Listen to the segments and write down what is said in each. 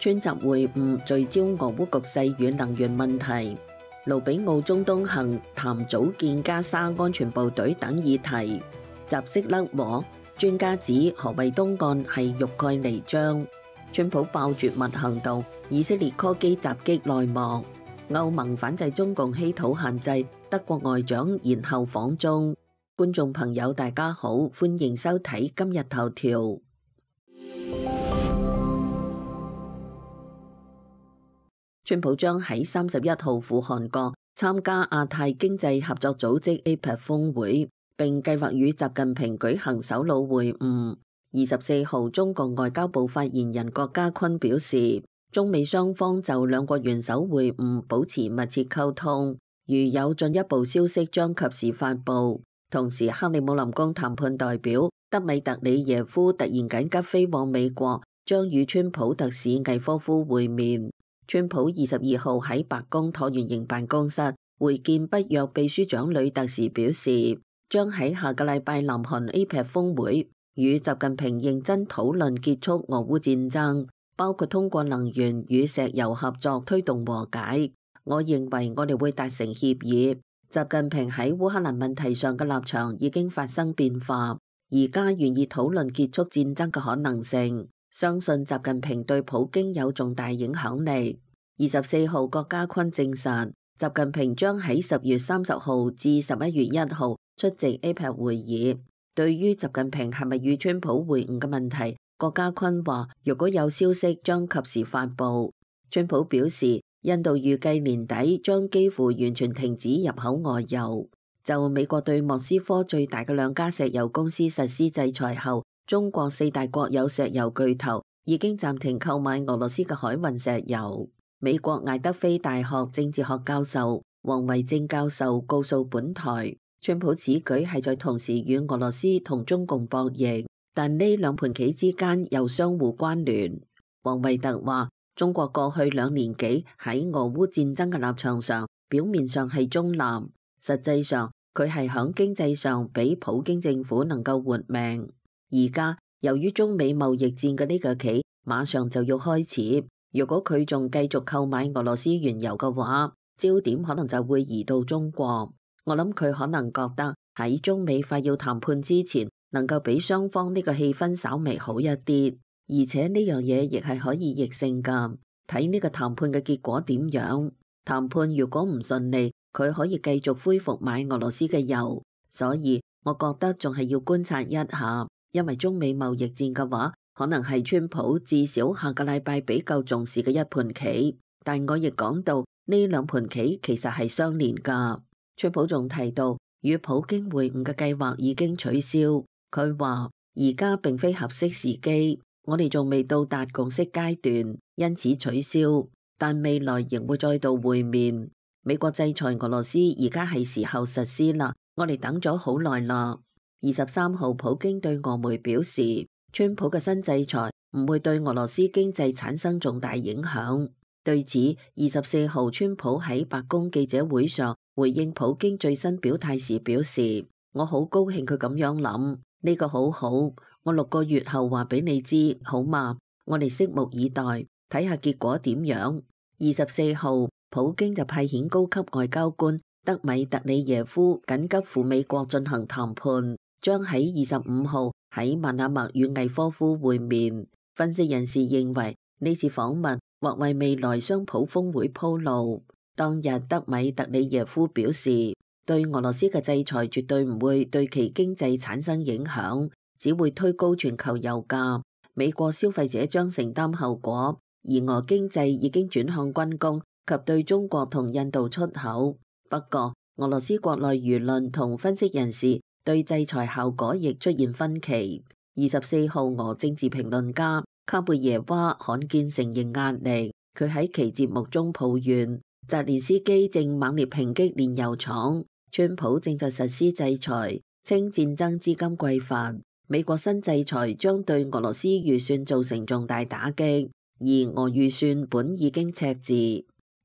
川習會晤聚焦俄烏局勢與能源問題，盧比奧中東行談組建加沙安全部隊等議題，習式甩鍋。專家指何謂東岸係欲蓋彌彰。川普爆絕密行動，以色列科技襲擊內幕。歐盟反制中共稀土限制，德國外長延後訪中。觀眾朋友大家好，歡迎收睇今日頭條。川普將喺31號赴韓國參加亞太經濟合作組織 APEC 峰會，並計劃與習近平舉行首腦會晤。24號，中國外交部發言人郭家坤表示，中美雙方就兩國元首會晤保持密切溝通，如有進一步消息將及時發布。同時，克里姆林宮談判代表德米特里耶夫突然緊急飛往美國，將與川普特使魏科夫會面。川普22號喺白宮橢圓形辦公室會見北約秘書長呂特時表示，將喺下個禮拜南韓 APEC 峰會與習近平認真討論結束俄烏戰爭，包括通過能源與石油合作推動和解。我認為我哋會達成協議。習近平喺烏克蘭問題上嘅立場已經發生變化，而家願意討論結束戰爭嘅可能性。相信習近平對普京有重大影響力。24號，郭家坤證實，習近平將喺10月30號至11月1號出席 APEC 會議。對於習近平係咪與川普會晤嘅問題，郭家坤話：如果有消息，將及時發布。川普表示，印度預計年底將幾乎完全停止入口俄油。就美國對莫斯科最大嘅兩家石油公司實施制裁後，中國4大國有石油巨頭已經暫停購買俄羅斯嘅海運石油。美國艾德菲大學政治學教授王維正教授告訴本台，川普此舉係在同時與俄羅斯同中共博弈，但呢兩盤棋之間又相互關聯。王維特話，中國過去2年幾喺俄烏戰爭嘅立場上，表面上係中立，實際上佢係響經濟上比普京政府能夠活命。而家由於中美貿易戰嘅呢個棋馬上就要開始，如果佢仲繼續購買俄羅斯原油嘅話，焦點可能就會移到中國。我諗佢可能覺得喺中美快要談判之前，能夠俾雙方呢個氣氛稍微好一啲，而且呢樣嘢亦係可以逆性㗎。睇呢個談判嘅結果點樣？談判如果唔順利，佢可以繼續恢復買俄羅斯嘅油。所以我覺得仲係要觀察一下，因為中美貿易戰嘅話，可能係川普至少下個禮拜比較重視嘅一盤棋。但我亦講到呢兩盤棋其實係相連㗎。川普仲提到與普京會晤嘅計劃已經取消。佢話而家並非合適時機，我哋仲未到達共識階段，因此取消。但未來仍會再度會面。美國制裁俄羅斯而家係時候實施啦，我哋等咗好耐啦。23號，普京對俄媒表示，川普嘅新制裁唔會對俄羅斯經濟產生重大影響。對此，24號，川普喺白宮記者會上回應普京最新表態時表示，我好高興佢咁樣諗，呢個好好，我6個月後話俾你知，好嘛？我哋拭目以待，睇下結果點樣。24號，普京就派遣高級外交官德米特里耶夫緊急赴美國進行談判，將喺25號喺曼哈默與魏科夫會面。分析人士認為呢次訪問或為未來雙普峰會鋪路。當日德米特里耶夫表示，對俄羅斯嘅制裁絕對唔會對其經濟產生影響，只會推高全球油價，美國消費者將承擔後果。而俄經濟已經轉向軍工及對中國同印度出口。不過，俄羅斯國內輿論同分析人士對制裁效果亦出現分歧。24號，俄政治評論家卡貝耶娃罕見承認壓力。佢喺其節目中抱怨，澤連斯基正猛烈抨擊煉油廠，川普正在實施制裁，稱戰爭資金匱乏。美國新制裁將對俄羅斯預算造成重大打擊。而俄預算本已經赤字。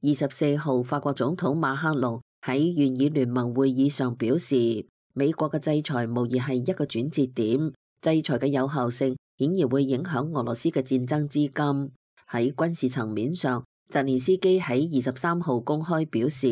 24號，法國總統馬克龍喺願意聯盟會議上表示，美國嘅制裁無疑係一個轉折點，制裁嘅有效性顯然會影響俄羅斯嘅戰爭資金。喺軍事層面上，澤連斯基喺23號公開表示，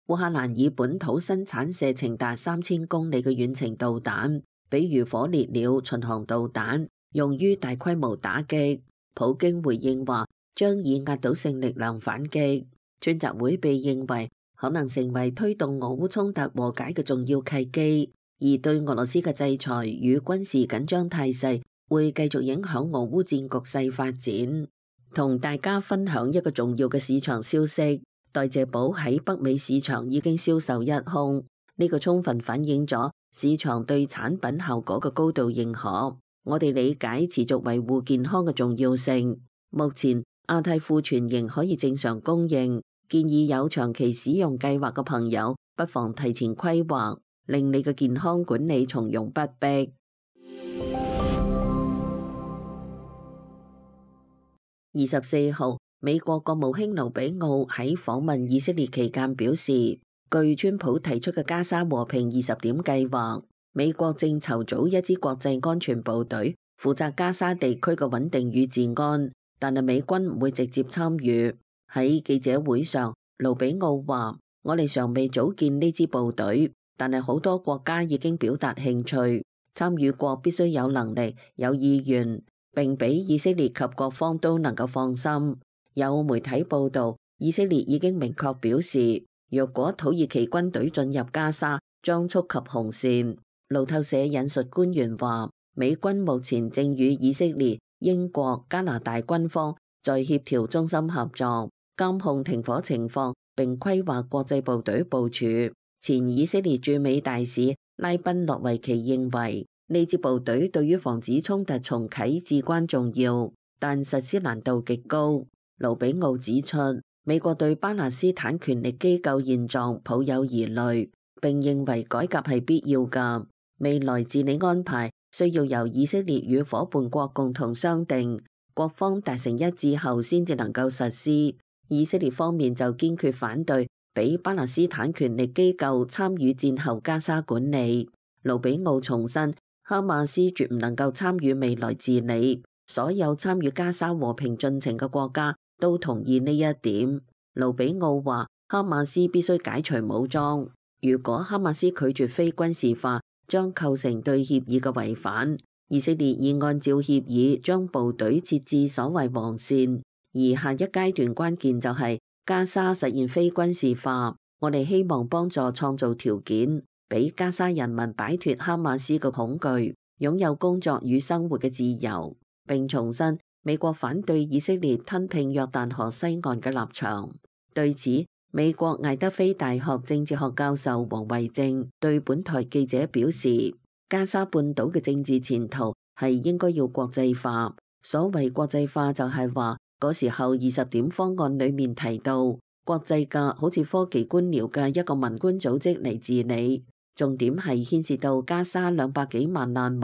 烏克蘭以本土生產射程達3000公里嘅遠程導彈，比如火烈鳥巡航導彈，用於大規模打擊。普京回應話，將以壓倒性力量反擊。專責會被認為可能成為推動俄烏衝突和解嘅重要契機，而對俄羅斯嘅制裁與軍事緊張態勢會繼續影響俄烏戰局勢發展。同大家分享一個重要嘅市場消息，代謝寶喺北美市場已經銷售一空，呢個充分反映咗市場對產品效果嘅高度認可。我哋理解持續維護健康嘅重要性。目前亞太庫存仍可以正常供應，建議有長期使用計劃嘅朋友不妨提前規劃，令你嘅健康管理從容不迫。24號，美國國務卿盧比奧喺訪問以色列期間表示，據川普提出嘅加沙和平20點計劃，美國正籌組一支國際安全部隊，負責加沙地區嘅穩定與治安，但係美軍唔會直接參與。喺記者會上，盧比奧話：我哋尚未組建呢支部隊，但係好多國家已經表達興趣，參與國必須有能力、有意願，並俾以色列及各方都能夠放心。有媒體報道，以色列已經明確表示，若果土耳其軍隊進入加沙，將觸及紅線。路透社引述官員話，美軍目前正與以色列、英國、加拿大軍方在協調中心合作，監控停火情況，並規劃國際部隊部署。前以色列駐美大使拉賓諾維奇認為，呢支部隊對於防止衝突重啟至關重要，但實施難度極高。盧比奧指出，美國對巴勒斯坦權力機構現狀抱有疑慮，並認為改革係必要㗎。未來治理安排需要由以色列與夥伴國共同商定，各方達成一致後先至能夠實施。以色列方面就堅決反對俾巴勒斯坦權力機構參與戰後加沙管理。盧比奧重申，哈馬斯絕唔能夠參與未來治理，所有參與加沙和平進程嘅國家都同意呢一點。盧比奧話，哈馬斯必須解除武裝，如果哈馬斯拒絕非軍事化，將構成對協議嘅違反。以色列已按照協議將部隊設置所謂防線，而下一階段關鍵就係加沙實現非軍事化。我哋希望幫助創造條件，俾加沙人民擺脫哈馬斯嘅恐懼，擁有工作與生活嘅自由。並重申美國反對以色列吞併約旦河西岸嘅立場。對此，美國艾德菲大學政治學教授王維正對本台記者表示，加沙半島嘅政治前途係應該要國際化。所謂國際化就係話，嗰時候20點方案裡面提到，國際嘅好似科技官僚嘅一個民官組織嚟治理，重點係牽涉到加沙200幾萬難民，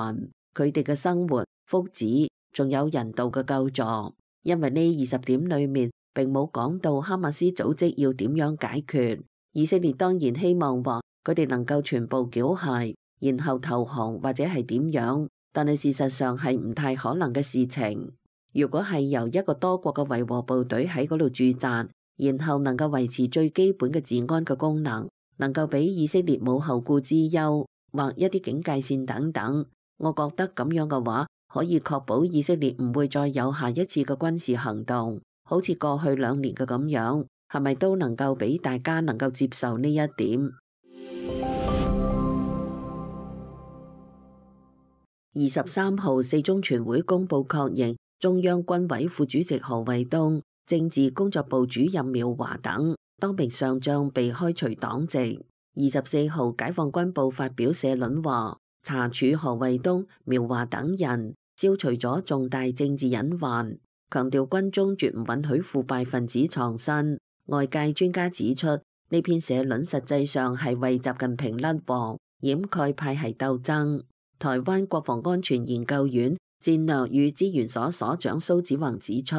佢哋嘅生活福祉，仲有人道嘅救助。因為呢20點裡面並冇講到哈馬斯組織要點樣解決。以色列當然希望話佢哋能夠全部繳械，然後投降或者係點樣，但係事實上係唔太可能嘅事情。如果係由一個多國嘅維和部隊喺嗰度駐紮，然後能夠維持最基本嘅治安嘅功能，能夠俾以色列冇後顧之憂，或一啲警戒線等等，我覺得咁樣嘅話，可以確保以色列唔會再有下一次嘅軍事行動，好似過去2年嘅咁樣，係咪都能夠俾大家能夠接受呢一點？23號四中全會公佈確認，中央軍委副主席何衛東、政治工作部主任苗華等多名上將被開除黨籍。24號解放軍報發表社論話，查處何衛東、苗華等人，消除咗重大政治隱患，強調軍中絕唔允許腐敗分子藏身。外界專家指出，呢篇社論實際上係為習近平甩鑊，掩蓋派系鬥爭。台灣國防安全研究院戰略與資源所所長蘇子宏指出，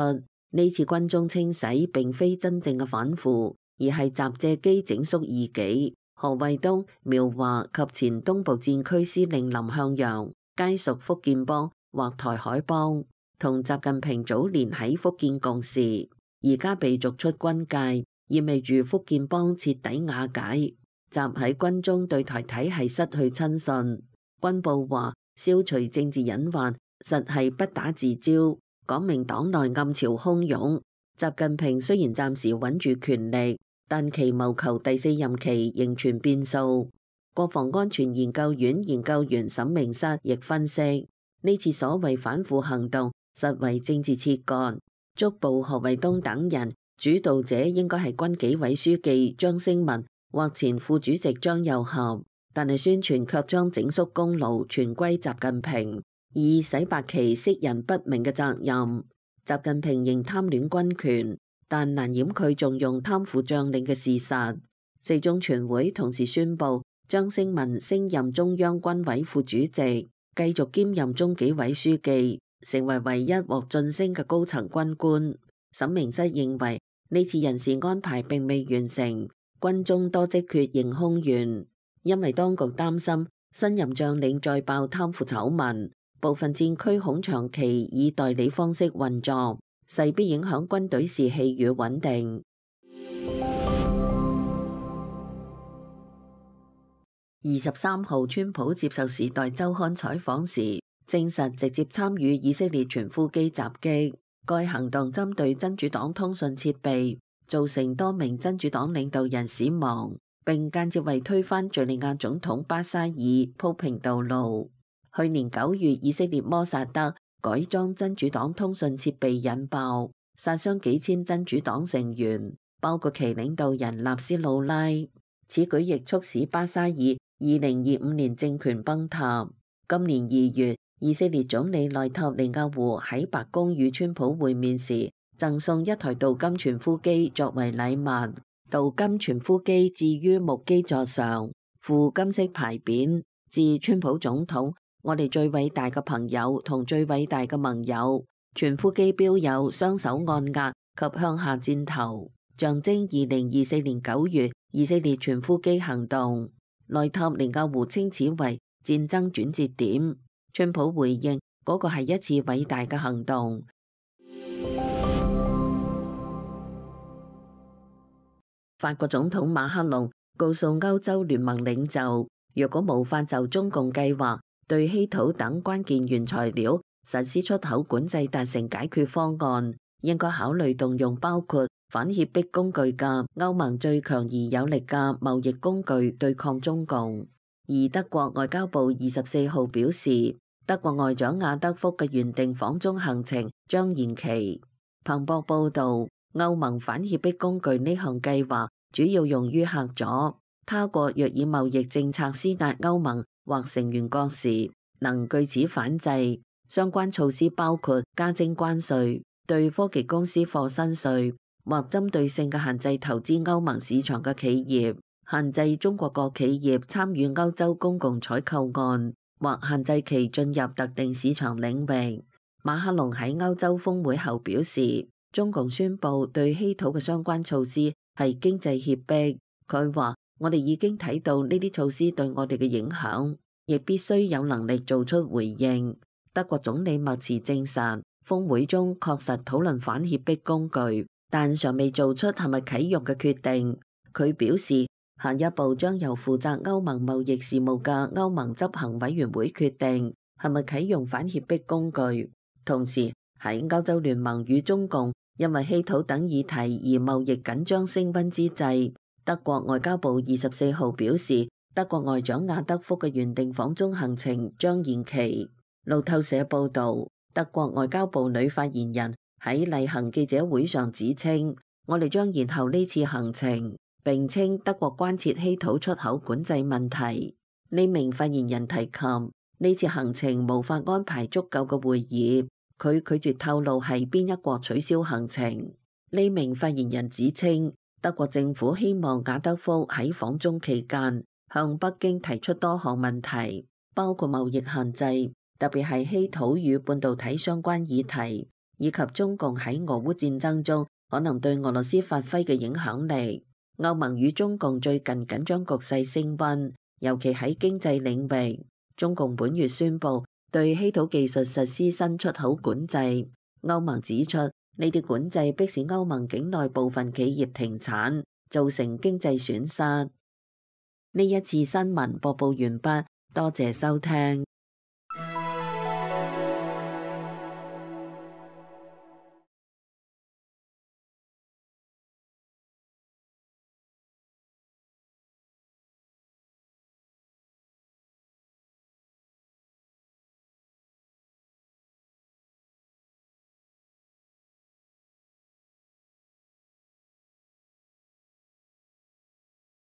呢次軍中清洗並非真正嘅反腐，而係集借機整肅異己。何衛東、苗華及前東部戰區司令林向陽皆屬福建幫或台海幫。同習近平早年喺福建共事，而家被逐出軍界，意味住福建幫徹底瓦解。習喺軍中對台體系失去親信。軍報話消除政治隱患，實係不打自招，講明黨內暗潮洶湧。習近平雖然暫時穩住權力，但其謀求第4任期仍存變數。國防安全研究院研究員沈明室亦分析，呢次所謂反腐行動實為政治切割，捉捕何衛東等人，主導者應該係軍紀委書記張升文或前副主席張又俠，但係宣傳卻將整肅功勞全歸習近平，以洗白其識人不明嘅責任。習近平仍貪戀軍權，但難掩佢重用貪腐將領嘅事實。四中全會同時宣布張升文升任中央軍委副主席，繼續兼任中紀委書記，成為唯一獲晉升嘅高層軍官。沈明室認為呢次人事安排並未完成，軍中多職缺仍空懸，因為當局擔心新任將領再爆貪腐醜聞，部分戰區恐長期以代理方式運作，勢必影響軍隊士氣與穩定。23號，川普接受《時代週刊》採訪時，證實直接參與以色列傳呼機襲擊。該行動針對真主黨通訊設備，造成多名真主黨領導人死亡，並間接為推翻敘利亞總統巴沙爾鋪平道路。去年9月，以色列摩薩德改裝真主黨通訊設備引爆，殺傷幾千真主黨成員，包括其領導人納斯魯拉。此舉亦促使巴沙爾2025年政權崩塌。今年2月，以色列總理內塔尼亞胡喺白宮與川普會面時，贈送一台鍍金傳呼機作為禮物。鍍金傳呼機置於木基座上，附金色牌匾，致川普總統：我哋最偉大嘅朋友同最偉大嘅盟友。傳呼機標有雙手按壓及向下箭頭，象徵2024年9月以色列傳呼機行動。內塔尼亞胡稱此為戰爭轉折點。川普回應嗰個係一次偉大嘅行動。法國總統馬克龍告訴歐洲聯盟領袖，若果無法就中共計劃對稀土等關鍵原材料實施出口管制達成解決方案，應該考慮動用包括反脅迫工具嘅歐盟最強而有力嘅貿易工具對抗中共。而德國外交部24號表示，德國外長亞德福嘅原定訪中行程將延期。彭博報導，歐盟反脅迫工具呢項計劃主要用於嚇阻他國若以貿易政策施壓歐盟或成員國時，能據此反制。相關措施包括加徵關稅、對科技公司課新稅，或針對性嘅限制投資歐盟市場嘅企業，限制中國國企業參與歐洲公共採購案，或限制其進入特定市場領域。馬克龍喺歐洲峰會後表示，中共宣布對稀土嘅相關措施係經濟脅迫。佢話：我哋已經睇到呢啲措施對我哋嘅影響，亦必須有能力做出回應。德國總理默茨證實，峰會中確實討論反脅迫工具，但尚未做出係咪啟用嘅決定。佢表示，下一步將由負責歐盟貿易事務嘅歐盟執行委員會決定係咪啟用反脅迫工具。同時喺歐洲聯盟與中共因為稀土等議題而貿易緊張升溫之際，德國外交部24號表示，德國外長亞德福嘅原定訪中行程將延期。路透社報導，德國外交部女發言人喺例行記者會上指稱，我哋將延後呢次行程，並稱德國關切稀土出口管制問題。呢名發言人提及，呢次行程無法安排足夠嘅會議，佢拒絕透露係邊一國取消行程。呢名發言人指稱，德國政府希望亞德福喺訪中期間向北京提出多項問題，包括貿易限制，特別係稀土與半導體相關議題，以及中共喺俄烏戰爭中可能對俄羅斯發揮嘅影響力。歐盟與中共最近緊張局勢升溫，尤其喺經濟領域。中共本月宣布對稀土技術實施新出口管制。歐盟指出，呢啲管制迫使歐盟境內部分企業停產，造成經濟損失。呢一次新聞播報完畢，多謝收聽。